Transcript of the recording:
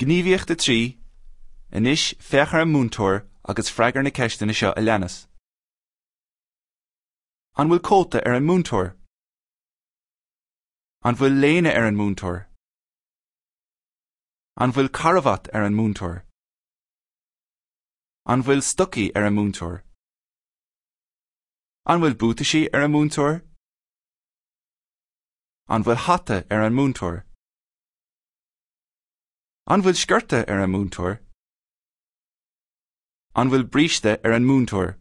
Gníomhaíocht 3, Anois féach ar an múinteoir agus freagair na ceisteanna seo a leanas. An bhfuil cóta ar an múinteoir? An bhfuil léine ar an múinteoir? An bhfuil carbhat ar an múinteoir? An bhfuil stocaí ar an múinteoir? An bhfuil buataisí ar an múinteoir? An bhfuil hata ar an múinteoir? An bhfuil sciorta ar an múinteoir? An bhfuil bríste ar an múinteoir?